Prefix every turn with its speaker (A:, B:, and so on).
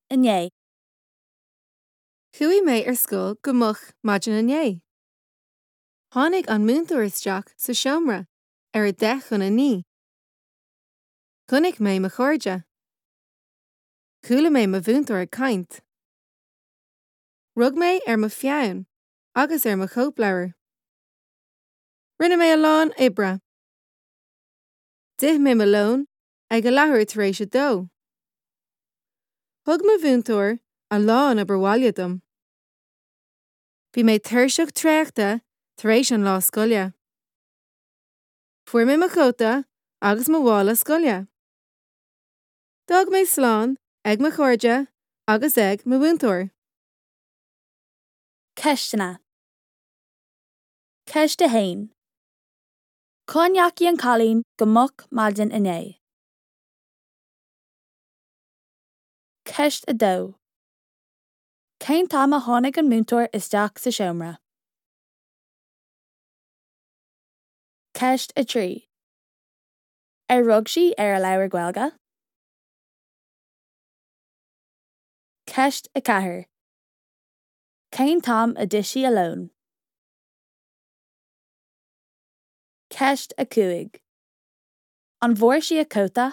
A: Inné.
B: Chuaigh mé ar scoil go moch maidin inné. Tháinig an múinteoir isteach sa seomra ar 8:50. Chonaic mé mo chairde. Chuala mé mo mhúinteoir ag caint. Rug mé ar mo pheann agus ar mo chóipleabhar. Rinne mé a lán oibre. D'ith mé mo lón ag a leathuair tar éis a dó. Thug mo mhúinteoir a lán obair bhaile dom. Bhí mé tuirseach traochta tar éis an lá scoile. Fuair mé mo chóta agus mo mhála scoile. D'fhág mé slán ag mo chairde agus ag mo mhúinteoir.
A: Ceisteanna. Ceist 1. Cá ndeachaigh an cailín go moch maidin inné? Ceist 2. Cén t-am a tháinig an múinteoir isteach sa seomra? Ceist 3. Ar rug sí ar a leabhar Gaeilge? Ceist 4. Cén t-am a d'ith sí a lón? Ceist 5. An bhfuair sí a cóta?